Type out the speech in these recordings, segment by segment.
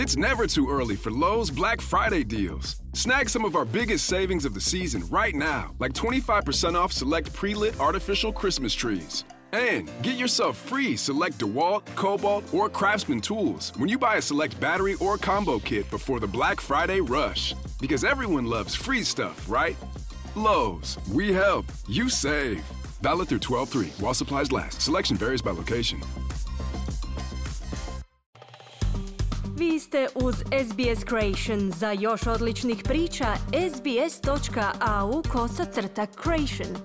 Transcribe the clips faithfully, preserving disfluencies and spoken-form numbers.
It's never too early for Lowe's Black Friday deals. Snag some of our biggest savings of the season right now, like twenty-five percent off select pre-lit artificial Christmas trees. And get yourself free select DeWalt, Cobalt, or Craftsman tools when you buy a select battery or combo kit before the Black Friday rush. Because everyone loves free stuff, right? Lowe's, we help, you save. Valid through twelve three while supplies last. Selection varies by location. Vi ste uz S B S Creation. Za još odličnih priča, sbs.au kosacrta creation.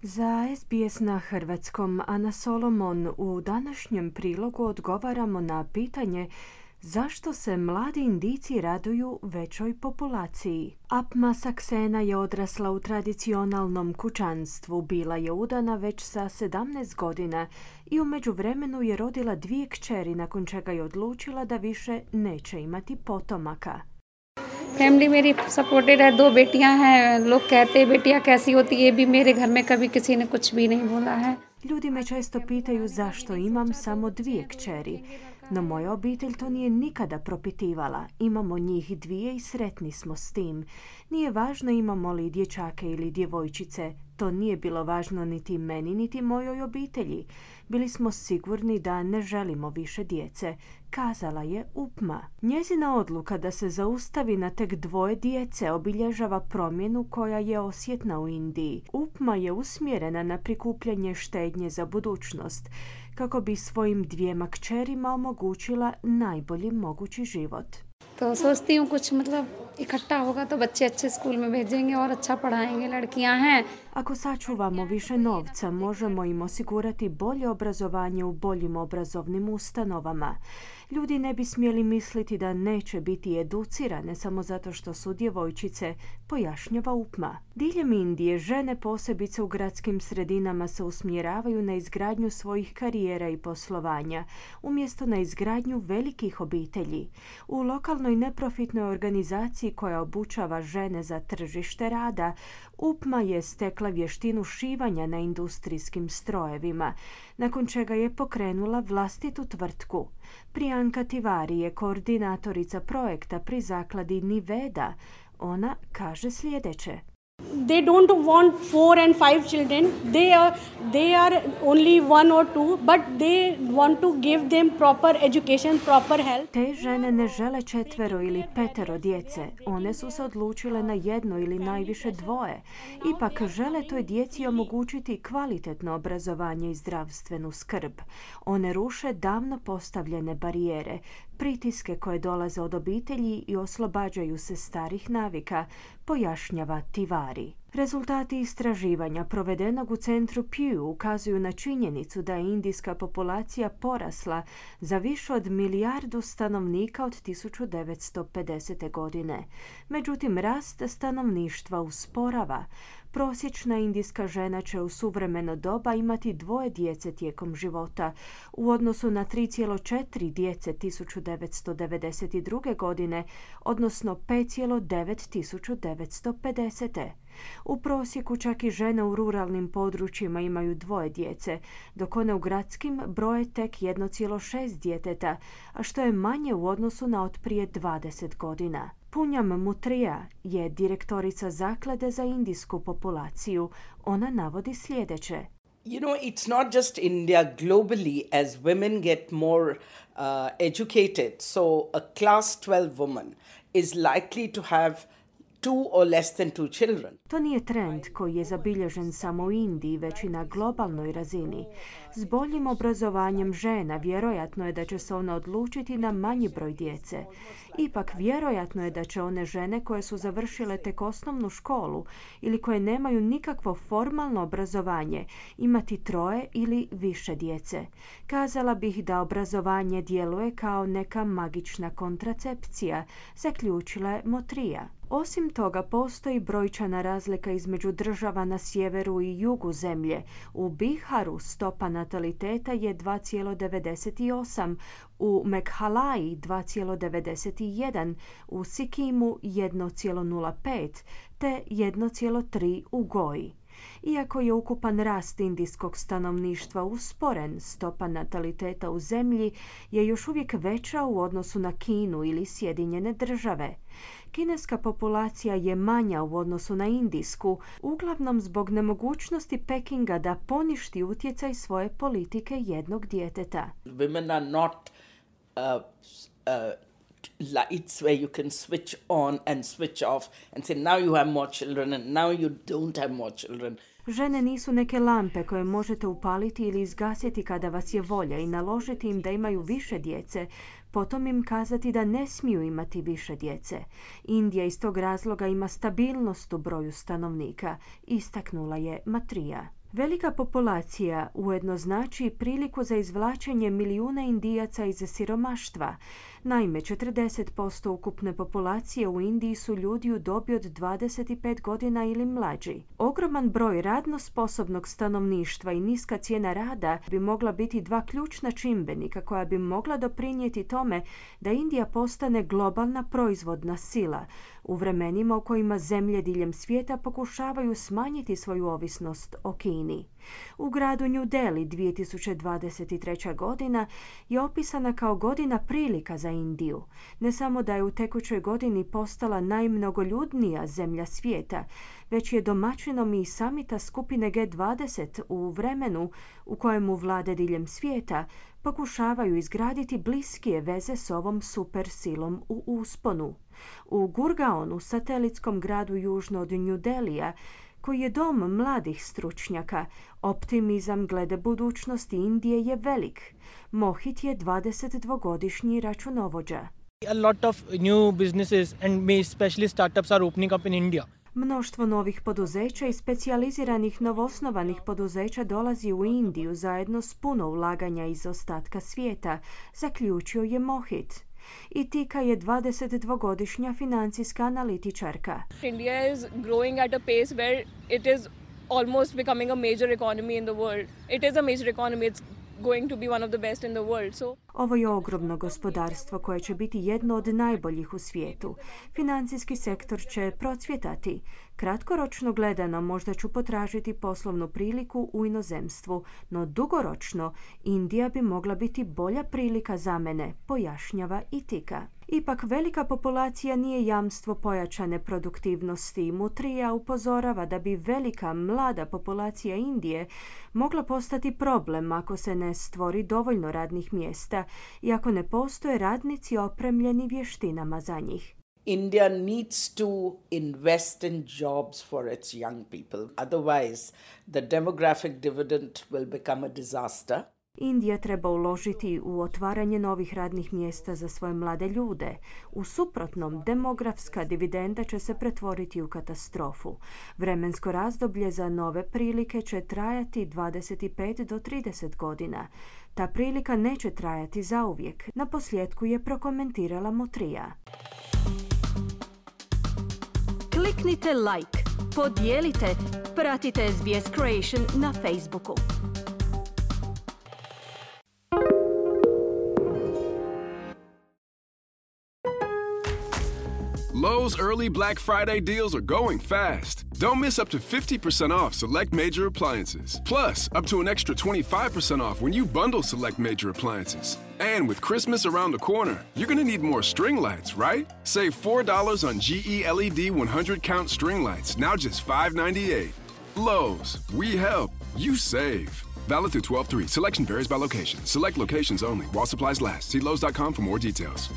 Za S B S na hrvatskom, Ana Solomon, u današnjem prilogu odgovaramo na pitanje zašto se mladi Indijci raduju većoj populaciji. Apma Saksena je odrasla u tradicionalnom kućanstvu, bila je udana već sa sedamnaest godina i u međuvremenu je rodila dvije kćeri, nakon čega je odlučila da više neće imati potomaka. Family मेरी सपोर्टेड है, दो बेटियां हैं। लोग कहते हैं बेटियां कैसी होती है, ये भी मेरे घर में कभी किसी ने कुछ भी नहीं बोला है। Ljudi me često pitaju zašto imam samo dvije kćeri, no moja obitelj to nije nikada propitivala. Imamo njih dvije i sretni smo s tim. Nije važno imamo li dječake ili djevojčice, to nije bilo važno niti meni niti mojoj obitelji. Bili smo sigurni da ne želimo više djece, kazala je Upma. Njezina odluka da se zaustavi na tek dvoje djece obilježava promjenu koja je osjetna u Indiji. Upma je usmjerena na prikupljanje štednje za budućnost, kako bi svojim dvijema kćerima omogućila najbolji mogući život. तो सोचती हूँ कुछ मतलब इकट्ठा होगा तो बच्चे अच्छे स्कूल में भेजेंगे और अच्छा पढ़ाएंगे, लड़कियां हैं. Ako sačuvamo više novca, možemo im osigurati bolje obrazovanje u boljim obrazovnim ustanovama. Ljudi ne bi smjeli misliti da neće biti educirane samo zato što su djevojčice, pojašnjava Upma. Diljem Indije žene, posebice u gradskim sredinama, se usmjeravaju na izgradnju svojih karijera i poslovanja, umjesto na izgradnju velikih obitelji. U lokalnoj neprofitnoj organizaciji koja obučava žene za tržište rada, Upma je stekla vještinu šivanja na industrijskim strojevima, nakon čega je pokrenula vlastitu tvrtku. Priyanka Tiwari je koordinatorica projekta pri zakladi Niveda. Ona kaže sljedeće. They don't want four and five children. They are they are only one or two, but they want to give them proper education, proper health. Te žene ne žele četvero ili petero djece. One su se odlučile na jedno ili najviše dvoje. Ipak žele toj djeci omogućiti kvalitetno obrazovanje i zdravstvenu skrb. One ruše davno postavljene barijere, pritiske koje dolaze od obitelji i oslobađaju se starih navika, pojašnjava Tiwari. Rezultati istraživanja provedenog u centru Pew ukazuju na činjenicu da je indijska populacija porasla za više od milijardu stanovnika od tisuću devetsto pedesete. godine. Međutim, rast stanovništva usporava. Prosječna indijska žena će u suvremeno doba imati dvoje djece tijekom života, u odnosu na tri zarez četiri djece tisuću devetsto devedeset druge. godine, odnosno pet zarez devet tisuću devetsto pedesete. U prosjeku čak i žene u ruralnim područjima imaju dvoje djece, dok one u gradskim broje tek jedno zarez šest djeteta, a što je manje u odnosu na od prije dvadeset godina. Punyam Mutrija je direktorica zaklade za indijsku populaciju. Ona navodi sljedeće. You know, it's not just India. Globally, as women get more uh, educated, so a class twelve woman is likely to have two or less than two children. To nije trend koji je zabilježen samo u Indiji, već i na globalnoj razini. S boljim obrazovanjem žena vjerojatno je da će se ona odlučiti na manji broj djece. Ipak vjerojatno je da će one žene koje su završile tek osnovnu školu ili koje nemaju nikakvo formalno obrazovanje imati troje ili više djece. Kazala bih da obrazovanje djeluje kao neka magična kontracepcija, zaključila je Motrija. Osim toga, postoji brojčana razlika između država na sjeveru i jugu zemlje. U Biharu stopa nataliteta je dva zarez devedeset osam, u Meghalaji dva zarez devedeset jedan, u Sikimu jedan zarez nula pet te jedan zarez tri u Goji. Iako je ukupan rast indijskog stanovništva usporen, stopa nataliteta u zemlji je još uvijek veća u odnosu na Kinu ili Sjedinjene države. Kineska populacija je manja u odnosu na indijsku, uglavnom zbog nemogućnosti Pekinga da poništi utjecaj svoje politike jednog djeteta. Women are not uh, uh, lights where you can switch on and switch off and say now you have more children and now you don't have more children. Žene nisu neke lampe koje možete upaliti ili izgasiti kada vas je volja i naložiti im da imaju više djece, potom im kazati da ne smiju imati više djece. Indija iz tog razloga ima stabilnost u broju stanovnika, istaknula je Matrija. Velika populacija ujedno znači priliku za izvlačenje milijuna Indijaca iz siromaštva. Naime, četrdeset posto ukupne populacije u Indiji su ljudi u dobi od dvadeset pet godina ili mlađi. Ogroman broj radno sposobnog stanovništva i niska cijena rada bi mogla biti dva ključna čimbenika koja bi mogla doprinijeti tome da Indija postane globalna proizvodna sila u vremenima u kojima zemlje diljem svijeta pokušavaju smanjiti svoju ovisnost o Kini. U gradu New Delhi dvije tisuće dvadeset treća godina je opisana kao godina prilika za Indiju. Ne samo da je u tekućoj godini postala najmnogoljudnija zemlja svijeta, već je domaćinom i samita skupine G dvadeset u vremenu u kojemu vlade diljem svijeta pokušavaju izgraditi bliskije veze s ovom super silom u usponu. U Gurgaonu, satelitskom gradu južno od New Delhija, koji je dom mladih stručnjaka, optimizam glede budućnosti Indije je velik. Mohit je dvadesetdvogodišnji računovođa. A lot of new businesses and especially startups are opening up in India. Mnoštvo novih poduzeća i specijaliziranih novosnovanih poduzeća dolazi u Indiju zajedno s puno ulaganja iz ostatka svijeta, zaključio je Mohit. Itika je dvadesetdvogodišnja financijska analitičarka. India is growing at a pace where it is almost becoming a major economy in the world. It is a major economy. It's going to be one of the best in the world. So ovo je ogromno gospodarstvo koje će biti jedno od najboljih u svijetu. Financijski sektor će procvjetati. Kratkoročno gledano možda ću potražiti poslovnu priliku u inozemstvu, no dugoročno Indija bi mogla biti bolja prilika za mene, pojašnjava Itika. Ipak velika populacija nije jamstvo pojačane produktivnosti. Mutrija upozorava da bi velika mlada populacija Indije mogla postati problem ako se ne stvori dovoljno radnih mjesta i ako ne postoje radnici opremljeni vještinama za njih. India needs to invest in jobs for its young people. Otherwise, the demographic dividend will become a disaster. Indija treba uložiti u otvaranje novih radnih mjesta za svoje mlade ljude. U suprotnom, demografska dividenda će se pretvoriti u katastrofu. Vremensko razdoblje za nove prilike će trajati dvadeset pet do trideset godina. Ta prilika neće trajati zauvijek. Na posljedku je prokomentirala Mutrija. Kliknite like, podijelite, pratite S B S Creation na Facebooku. Lowe's early Black Friday deals are going fast. Don't miss up to fifty percent off select major appliances. Plus, up to an extra twenty-five percent off when you bundle select major appliances. And with Christmas around the corner, you're going to need more string lights, right? Save four dollars on G E L E D one hundred count string lights, now just five ninety-eight. Lowe's, we help, you save. Valid through twelve three. Selection varies by location. Select locations only. While supplies last. See Lowe's dot com for more details.